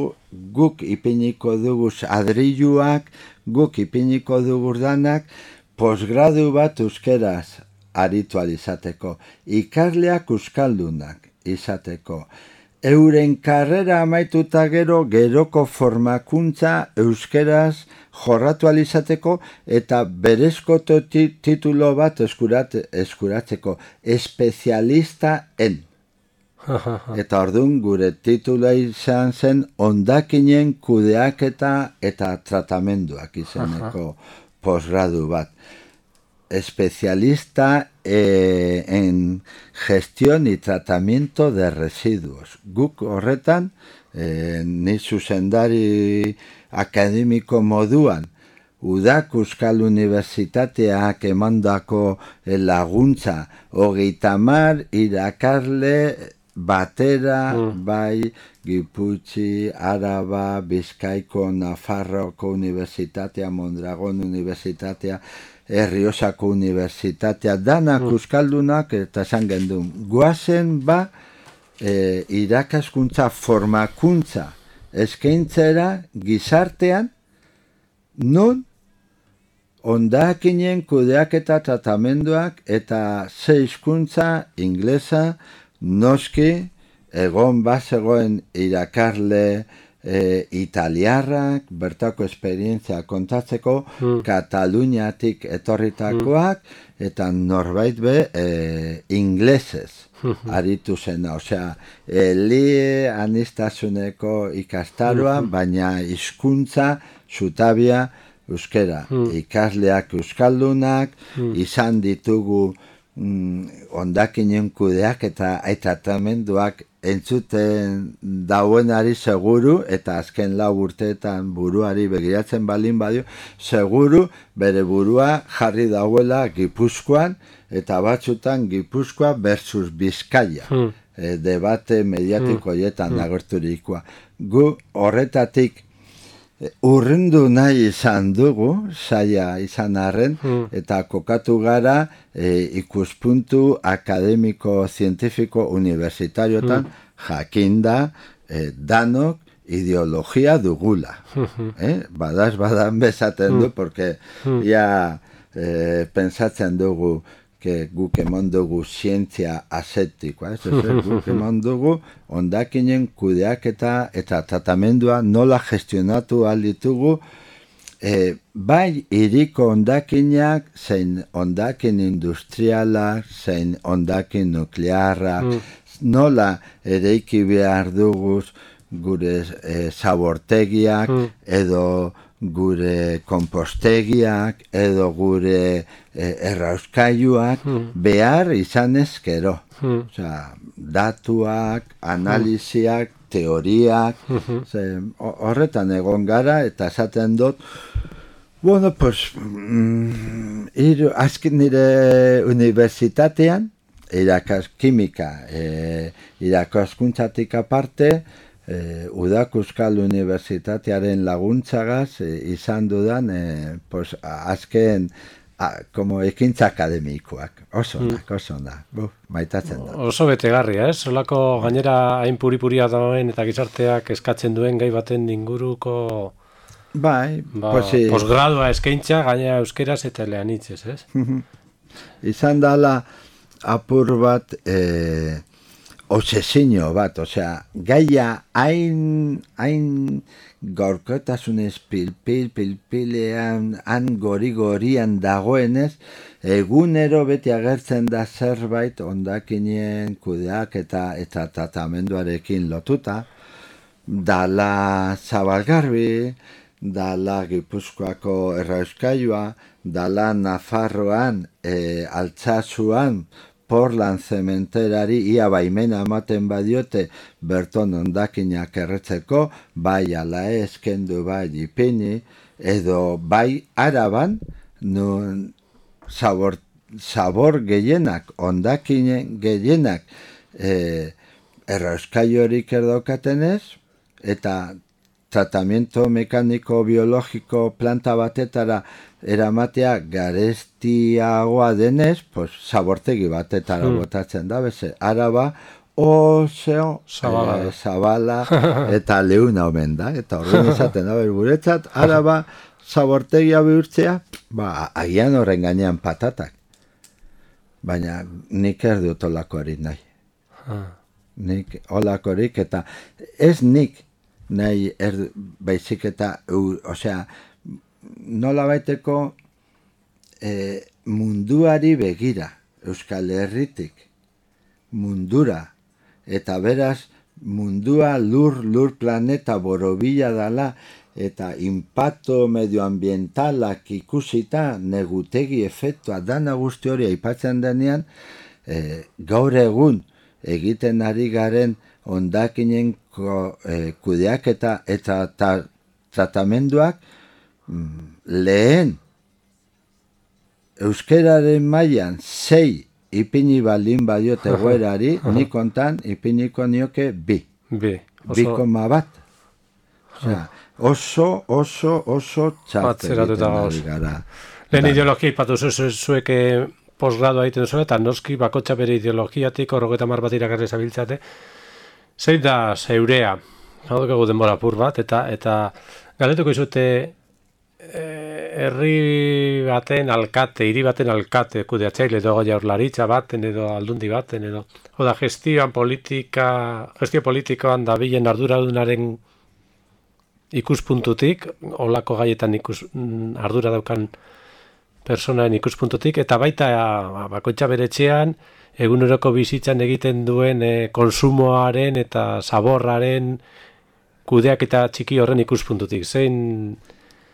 guk ipiniko dugu adriluak, guk ipiniko dugu danak, posgradu bat euskeraz aritu alizateko, ikasleak euskaldunak izateko, euren karrera amaituta gero, geroko formakuntza euskeraz jorratu alizateko eta berezko titulo bat eskurat, eskuratzeko, espezialista en. Eta orduan gure titula izan zen hondakinen kudeaketa eta tratamenduak izaneko posgradu bat. Especialista eh, en gestión y tratamiento de residuos. Guk horretan, eh, ni zuzendari akademiko moduan, Udak Euskal Unibertsitateak emandako laguntza, hogeita hamar irakarle batera, mm. bai, Giputxi, Araba, Bizkaiko, Nafarroko Unibertsitatea, Mondragon Unibertsitatea, Erriosako Unibertsitatea, danak mm. euskaldunak eta esan gendun. Guazen ba, e, irakaskuntza, formakuntza, eskaintzera gizartean, non hondakinen kudeaketa tratamenduak eta ze hizkuntza inglesa, noski, egon bazegoen irakarle e, italiarrak, bertako esperientzia kontatzeko, mm. Kataluniatik etorritakoak, mm. eta norbait be e, inglesez aritu zena. Osea, elie anistazuneko ikastaroa, mm. baina hizkuntza zutabia euskera. Mm. Ikasleak euskaldunak, mm. izan ditugu mm, hondakinen kudeak eta tratamenduak entzuten dauenari seguru, eta azken lau urteetan buruari begiratzen balin badio, seguru bere burua jarri dauela Gipuzkoan, eta batzutan Gipuzkoa versus Bizkaia. Hmm. E, debate mediatiko hietan hmm. agerturikoa. Gu horretatik urrundu nahi izan dugu, saia izan arren, hmm. eta kokatu gara e, ikuspuntu akademiko, zientifiko, universitariotan, hmm. jakinda, e, danok, ideologia dugula. Hmm. Eh? Badaz, badan bezaten du, porque hmm. ya e, pensatzen dugu, que guk emon dugu zientzia asetikoa, ez ez, guk emon dugu hondakinen kudeaketa eta tratamendua nola gestionatu alditugu, e, bai iriko hondakinak, zein hondakin industriala, zein hondakin nuklearra, mm. nola ereiki behar duguz gure e, zabortegiak, mm. edo gure kompostegiak, edo gure e, errauskailuak mm. behar izan ezkero. Mm. Osea, datuak, analiziak, mm. teoriak, mm-hmm. ze, horretan egon gara, eta esaten dut, bueno, pues, mm, iru, azken nire unibertsitatean, irakaz kimika, e, irakaskuntzatik aparte, e, Udak Euskal Unibertsitatearen laguntzagaz e, izan dudan, e, pues, azken, a, como ekintza akademikoak, oso onak, mm. oso onak, buf, maitatzen da. Oso betegarria, ez? Solako gainera hain puripuria dagoen eta gizarteak eskatzen duen gai baten inguruko... Bai, ba, posi... posgradua eskaintza, gainera euskeraz eta eleanitzez, ez? Izan dala apur bat e, obsesio bat, osea, gaia hain, hain gorkotasunez pilpil, pilpilean, han gori-gorian dagoenez, egunero beti agertzen da zerbait ondakinen kudeak eta eta tratamenduarekin lotuta, dala Zabalgarbi, dala Gipuzkoako errauskailua, dala Nafarroan, e, Altsasuan, Portland zementerari ia baimena ematen badiote berton ondakinak erretzeko, bai ala eskendu bai ipini, edo bai Araban, nun zabor, zabor gehienak, ondakinen gehienak e, errauskailurik erdaukatenez, eta tratamiento mekaniko biologiko planta batetara eramatea garestiagoa denez, pues, zabortegi batetara hmm. botatzen da, beze, Araba oso zabala, e, zabala eta leuna omen da, eta horren izaten da, guretzat, Araba zabortegia bihurtzea, ba, agian horren gainean patatak. Baina nik ez dut olakorik nahi. Nik olakorik, eta ez nik nahi er, baizik eta, osea, nola baiteko e, munduari begira, Euskal Herritik, mundura, eta beraz, mundua lur, lur planeta borobila dala, eta impacto medioambientalak ikusita, negutegi efektua, dana guzti hori aipatzen denean, e, gaur egun egiten ari garen ondakinen e, kudeaketa eta ta, tratamenduak mm, lehen euskeraren mailan sei ipini baldin badiote goerari, nik kontan ipiniko nioke bi. Bi. Bi koma bat. Osea, oso, oso, oso txarte egiten ari gara. Lehen ideologia ipatu zuek posgrado egiten zuen, eta noski bakotxa bere ideologiatik horrogeta mar bat irakarri zabiltzate. Zein da zeurea, hau dugu denbora pur bat, eta eta galdetuko izute herri baten alkate, hiri baten alkate, kudeatzaile edo jaurlaritza baten edo aldundi baten edo, oda gestioan politika, gestio politikoan dabilen arduradunaren ikuspuntutik, olako gaietan ikus, ardura daukan personaen ikuspuntutik, eta baita bakoitza bere etxean, eguneroko bizitzan egiten duen e, konsumoaren eta zaborraren kudeak eta txiki horren ikuspuntutik. Zein,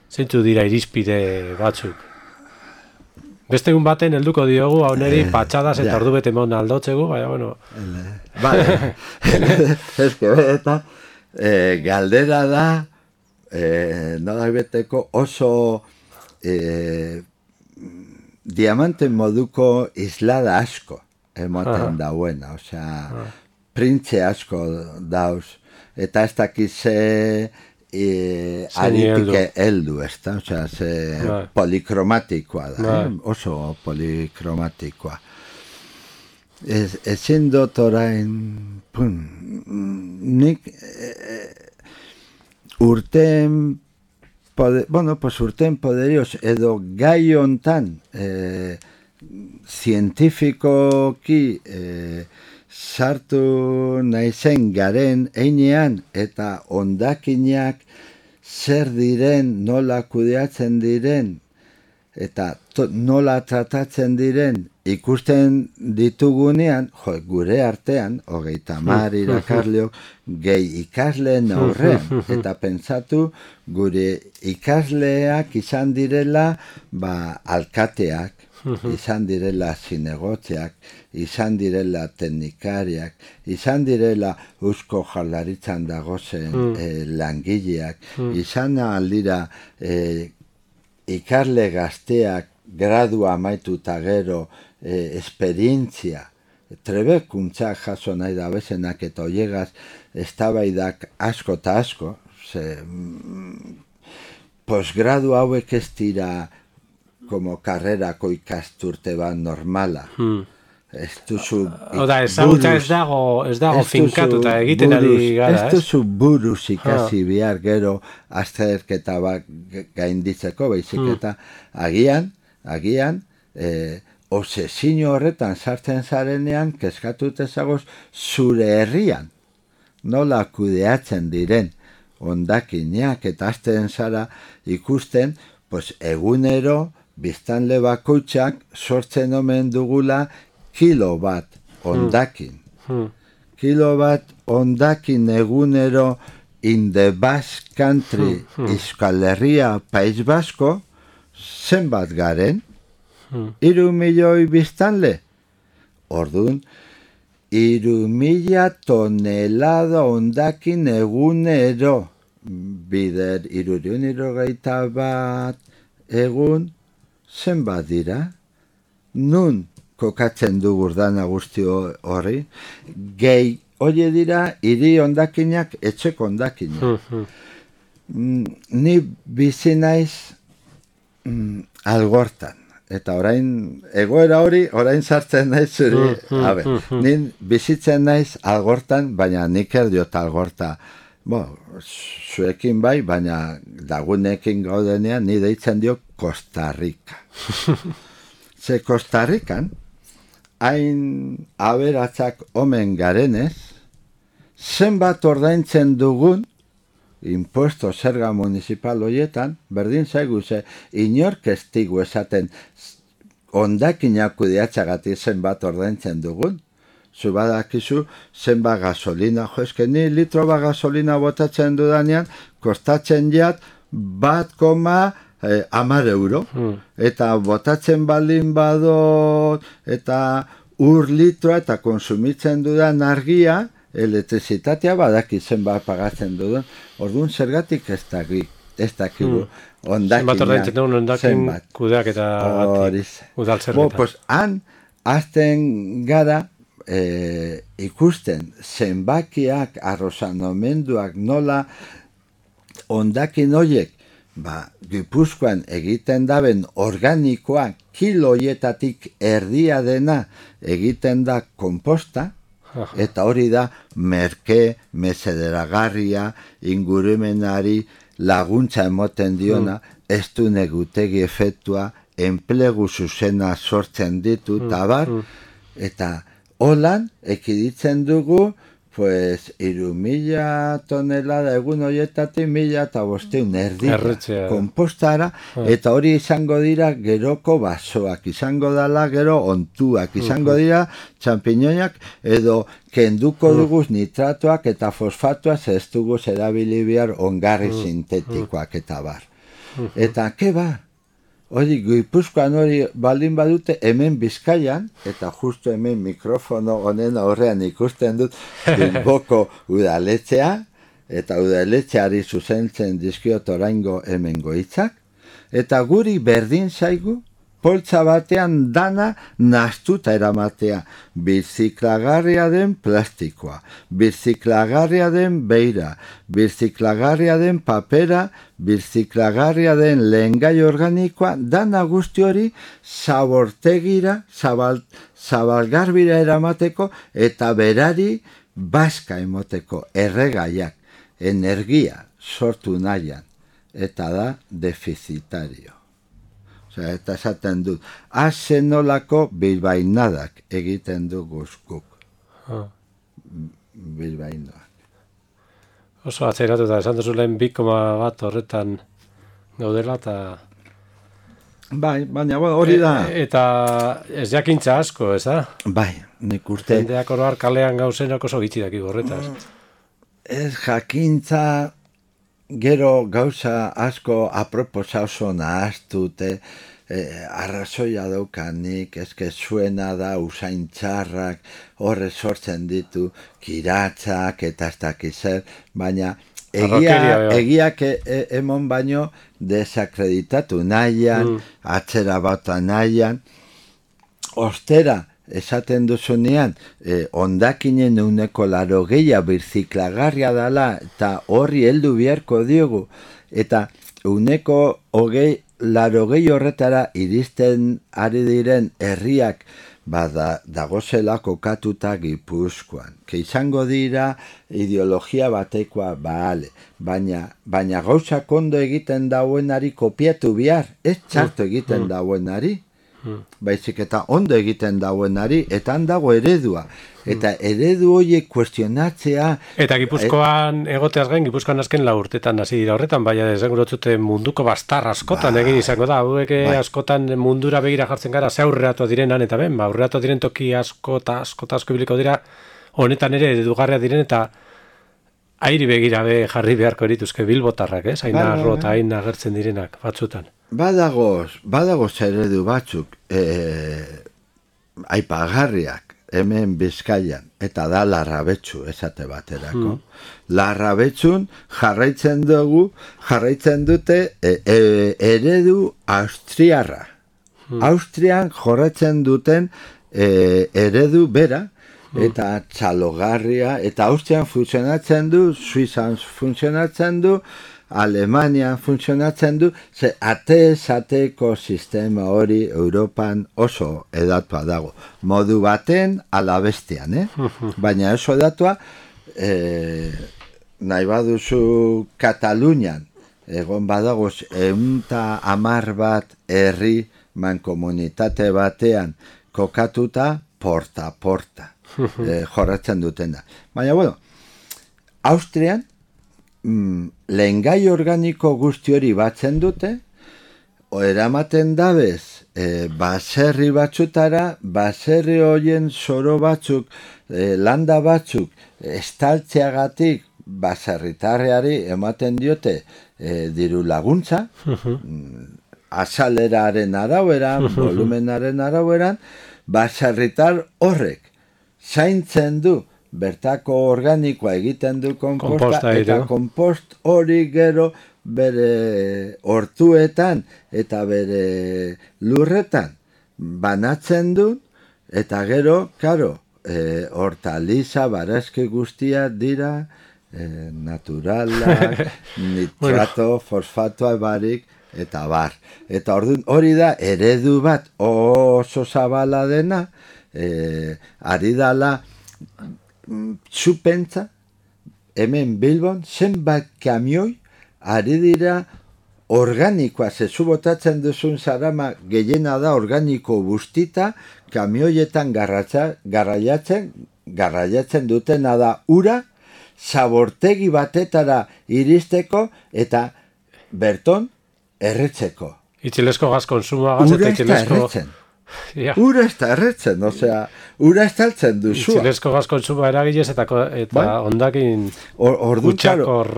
zeintzu dira irizpide batzuk? Beste egun baten helduko diogu, hau neri patxadas eta ordu bete mon aldotzegu, baina, bueno... Vale, ez que eta e, galdera da, e, nola beteko oso e, diamante moduko islada asko ematen dauen, osea, printze asko dauz, eta ez dakize e, aritike heldu, ez da, osea, ze polikromatikoa da, eh? Oso polikromatikoa. Ez, ezin dut orain, pun, nik e, urten, poder, bueno, pues urten poderioz, edo gai hontan, eh, zientifikoki eh, sartu naizen garen einean eta ondakinak zer diren, nola kudeatzen diren, eta to, nola tratatzen diren ikusten ditugunean, jo, gure artean, hogeita hamar irakasleok, gehi ikasleen aurrean, eta pentsatu gure ikasleak izan direla ba, alkateak, izan direla zinegotziak, izan direla teknikariak, izan direla Eusko Jaurlaritzan dagozen mm. eh, langileak, mm. izan aldira eh, ikasle gazteak gradu amaituta gero eh, esperientzia, trebekuntzak jaso nahi da bezenak eta oiegaz eztabaidak asko eta asko, ze, mm, posgradu hauek ez dira como karrerako ikasturte bat normala. Hmm. Ez duzu... Oda, ezagutza ez dago, ez dago finkatuta egiten buruz, ari gara, ez? Ez duzu buruz ikasi ha. Bihar gero azterketa bat gainditzeko, baizik eta agian, agian, eh, obsesio horretan sartzen zarenean, kezkatut ezagoz zure herrian, nola kudeatzen diren hondakinak eta azten zara ikusten, pues egunero, biztanle bakoitzak sortzen omen dugula kilo bat hondakin. Hmm. Kilo bat hondakin egunero in the Basque Country, hmm. Euskal Herria, País Basko, zenbat garen? Hmm. Iru milioi biztanle? Orduan, iru mila tonelada hondakin egunero. Bider, iruriun irogeita bat egun, zenbat dira? Nun kokatzen du gurdana guzti horri? Gehi, hori dira, hiri hondakinak, etxeko hondakinak. mm, ni bizi naiz mm, Algortan. Eta orain, egoera hori, orain sartzen naiz zuri. Habe, nin bizitzen naiz Algortan, baina nik erdiot Algorta. Bo, zuekin bai, baina lagunekin gaudenean ni deitzen dio Costa Rica. Ze Costa Rican, hain aberatzak omen garenez, zenbat ordaintzen dugun, impuesto zerga municipal horietan, berdin zaigu ze, inork ez digu esaten hondakinak kudeatzagatik zenbat ordaintzen dugun, zu badakizu zenbat gasolina, jo, eske ni litro bat gasolina botatzen dudanean, kostatzen jat bat koma eh, hamar euro, hmm. eta botatzen baldin badot, eta ur litroa eta konsumitzen dudan argia, elektrizitatea badaki zenbat pagatzen dudan, orduan zergatik ez dakik, ez dakigu, hmm. ondakinak, zenbat ordaintzen dugun ondakin kudeak eta udaltzerretan. Bo, pues, han, azten gara, E, ikusten zenbakiak arrozanomenduak nola hondakin horiek ba, Gipuzkoan egiten daben organikoa kiloietatik erdia dena egiten da komposta. Eta hori da merke, mesederagarria, ingurumenari laguntza emoten diona, mm. ez du negutegi efektua, enplegu zuzena sortzen ditu, mm. tabar, mm. eta holan, ekiditzen dugu, pues, iru mila tonelada egun horietatik mila eta bosteun erdira kompostara, ah. eta hori izango dira geroko basoak, izango dala gero ontuak, izango dira txampiñoiak, edo kenduko duguz nitratoak eta fosfatoak ez duguz erabili behar ongarri sintetikoak eta bar. Eta, ke ba? Hori, Gipuzkoan hori baldin badute hemen Bizkaian, eta justu hemen mikrofono honen aurrean ikusten dut Bilboko udaletxea, eta udaletxeari zuzentzen dizkiot oraingo hemen goitzak, eta guri berdin zaigu, poltsa batean dana nastuta eramatea, birziklagarria den plastikoa, birziklagarria den beira, birziklagarria den papera, birziklagarria den lehengai organikoa, dana guzti hori zabortegira, zabal, zabalgarbira eramateko, eta berari baska emoteko, erregaiak, energia sortu nahian, eta da defizitario. Osea, eta esaten dut, azenolako bilbainadak egiten du guzkuk. Ah. Bilbainoak. Oso atzeratu eta esan duzu lehen bi koma bat horretan gaudela eta... Bai, baina bueno, hori da. E, eta ez jakintza asko, ez da? Bai, nik uste. Jendeak oroar kalean gauzenak oso gitxi daki horretaz. Ez jakintza gero gauza asko aproposa oso nahaztute, eh, arrazoia daukanik, ezke zuena da usain txarrak, horre sortzen ditu, kiratzak eta ez dakizer, baina egia, egiak e, e, emon baino desakreditatu nahian, mm. atzera bata nahian, ostera, esaten duzunean, eh, ondakinen uneko laro geia birziklagarria dala, eta horri heldu biharko diogu, eta uneko hogei, laro gehi horretara iristen ari diren herriak, bada dagozela kokatuta Gipuzkoan. Ke izango dira ideologia batekoa, bale, baina, baina gauza kondo egiten dauenari kopiatu bihar, ez txarto egiten dauenari, baizik eta ondo egiten dauenari, eta handago eredua. Eta eredu horiek kuestionatzea... Eta Gipuzkoan et... egoteaz gain, Gipuzkoan azken lau urtetan hasi dira horretan, baina desengurotzute munduko bastar askotan ba, egin izango da. Hauek ba. askotan mundura begira jartzen gara, ze aurreratu direnan, eta ben, ba, aurreratu diren toki asko eta asko eta asko ibiliko dira, honetan ere eredugarria diren, eta airi begira be jarri beharko erituzke bilbotarrak, ez? Hain arro eta hain agertzen direnak, batzutan. Badagoz, badagoz eredu batzuk, e, aipagarriak, hemen Bizkaian, eta da Larrabetzu esate baterako. Mm. Larrabetzun jarraitzen dugu, jarraitzen dute e, e, eredu austriarra. Mm. Austrian jorratzen duten e, eredu bera, eta txalogarria, eta Austrian funtzionatzen du, Suizan funtzionatzen du, Alemanian funtzionatzen du, ze ate-zateko sistema hori Europan oso edatua dago. Modu baten alabestian, eh? Baina oso edatua, eh, nahi baduzu Katalunian, egon badagoz, eunta amar bat herri mankomunitate batean kokatuta porta-porta. Eh, jorratzen dutena. Baina, bueno, Austrian, mm, lehengai organiko guzti hori batzen dute, o eramaten dabez, eh, baserri batzutara, baserri horien zoro batzuk, eh, landa batzuk, estaltzeagatik baserritarreari ematen diote eh, diru laguntza, mm, azaleraren araueran, volumenaren araueran, baserritar horrek zaintzen du, bertako organikoa egiten du komposta, komposta eta kompost hori gero bere hortuetan eta bere lurretan banatzen du, eta gero, karo, e, hortaliza, barazki guztia dira, e, naturalak, nitrato, fosfatoa barik, eta bar. Eta orduan hori da eredu bat oso zabala dena, Eh, ari dala txupentza hemen Bilbon zenbat kamioi ari dira organikoa, zezu botatzen duzun zarama gehiena da organiko bustita, kamioietan garratza, garraiatzen garraiatzen dutena da ura zabortegi batetara iristeko eta berton erretzeko. Itxilesko gaz konsumoa gaz eta itxilesko... erretzen. Ja. Ura ez da erretzen, osea, ura ez taltzen duzua. Itxilesko gaz konsumoa eragilez eta, eta bai? Ondakin or, gutxakor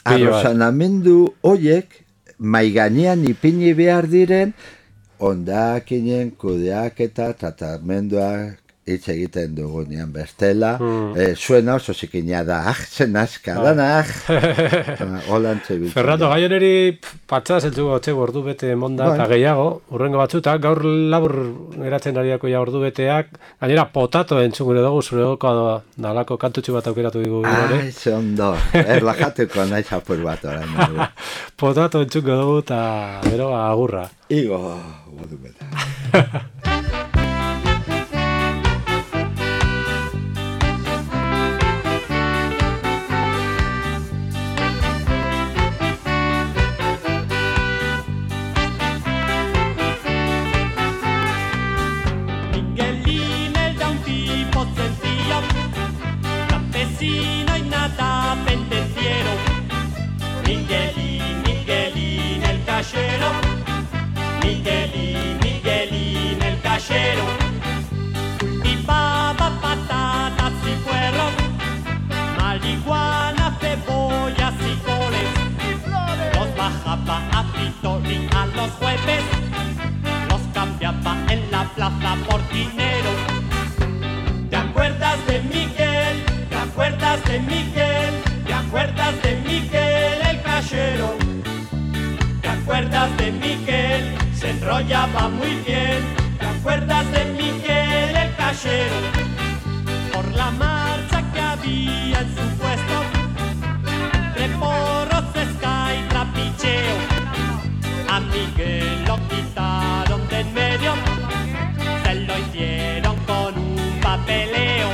arrozanamendu hoiek maiganean ipini behar diren ondakinen kudeak eta tratamenduak hitz egiten dugunean bestela, hmm. eh, zuena oso zikina da, ah, zen aska, ah. dana, ah. Holantze bitzen. Fernando, gaioneri patsa zeltzuko gotxe ordu bete monda eta gehiago, urrengo batzuta, gaur labur geratzen ariako ja ordu beteak, gainera potato entzungure dugu, zure doko nalako kantutxu bat aukeratu digu. Ai, ze ondo, erlajatuko nahi zapur bat orain. Potato entzungo dugu eta gero agurra. Igo, ordu bete. Miguelín, el cachero, Miguelín. los jueves los cambiaba en la plaza por dinero. ¿Te acuerdas de Miguel? ¿Te acuerdas de Miguel? ¿Te acuerdas de Miguel el cajero? ¿Te acuerdas de Miguel? Se enrollaba muy bien. ¿Te acuerdas de Miguel el cajero? Por la marcha que había en su puesto de porros, esca y trapicheo, a Miguel lo quitaron de en medio, se lo hicieron con un papeleo.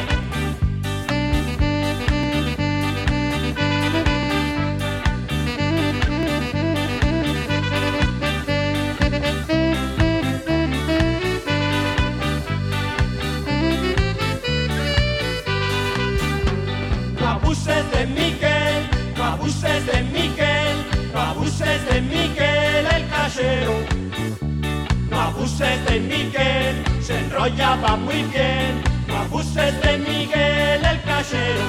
No abuses de Miguel, no abuses de Miguel, no abuses de Miguel el cajero. No abuses de Miguel, se enrollaba muy bien. No abuses de Miguel el cajero.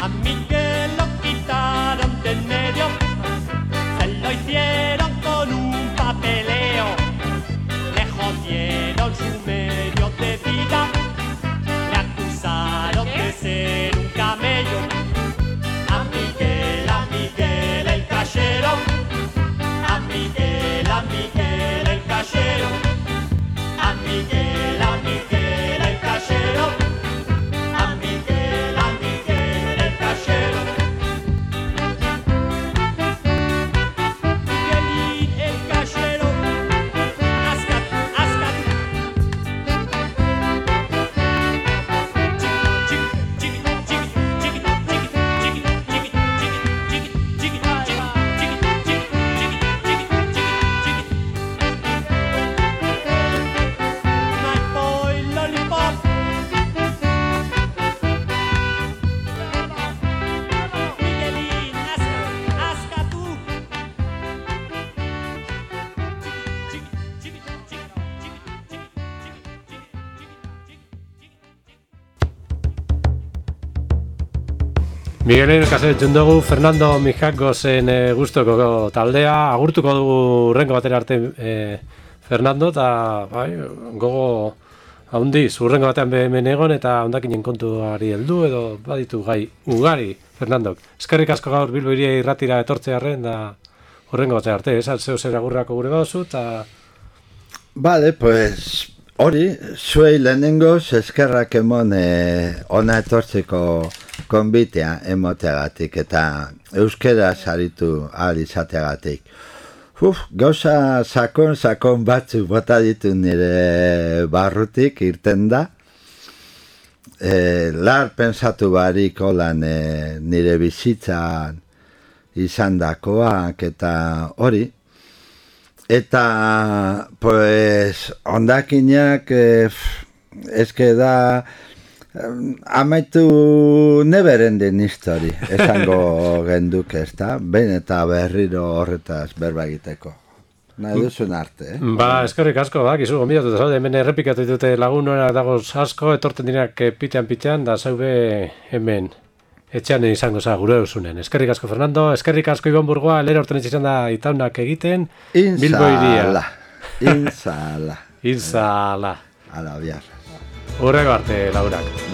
A Miguel lo quitaron de en medio, se lo hicieron con un papeleo. Le jodieron su medio de vida, le acusaron de ser un camello. A Miguel, a Miguel el cajero, a Miguel, a Miguel el cajero, a Miguel, a Miguel el cajero, a Miguel, a Miguel el cajero. Miguelín el cajero, ascat, ascat. Chiqui, chiqui, chiqui, chiqui, chiqui, chiqui, chiqui, chiqui, chiqui, chiqui, My boy lollipop. Miguelín, asca, asca tú. Chiqui, chiqui, chiqui, chiqui, chiqui, chiqui, chiqui, chiqui, Miguelen kase entzun dugu Fernando Mijakosen e, gustoko taldea, agurtuko dugu urrengo batera arte e, Fernando, eta bai, gogo haundi, urrengo batean hemen egon eta hondakinen kontuari heldu edo baditu gai ugari, Fernandok. Eskerrik asko gaur Bilbo hiria irratira etortzearren da urrengo batera arte, esan zeu zer agurrako gure bauzu, eta... Vale, pues hori, zuei lehenengoz eskerrak emon eh, ona etortzeko konbitea emoteagatik eta euskera saritu ahal izateagatik. Uf, gauza sakon, sakon batzuk bota ditu nire barrutik irten da. E, lar pensatu barik holan e, nire bizitzan izandakoak eta hori. Eta, pues, ondakinak, eh, eske da, amaitu neverenden histori, esango genduk ez da, behin eta berriro horretaz berba egiteko. Nahi duzun arte, eh? Ba, eskerrik asko, bak, izu gombidatu da zaude, hemen errepikatu ditute lagunora dagoz asko, etorten dinak pitean-pitean, da zaube hemen etxean izango za gure eusunen. Eskerrik asko, Fernando, eskerrik asko Ibon Burgoa, lera horten izan da itaunak egiten, Bilbo hiria. Inzala, inzala. Inzala. Ala, bihar. Urrego arte, laurak.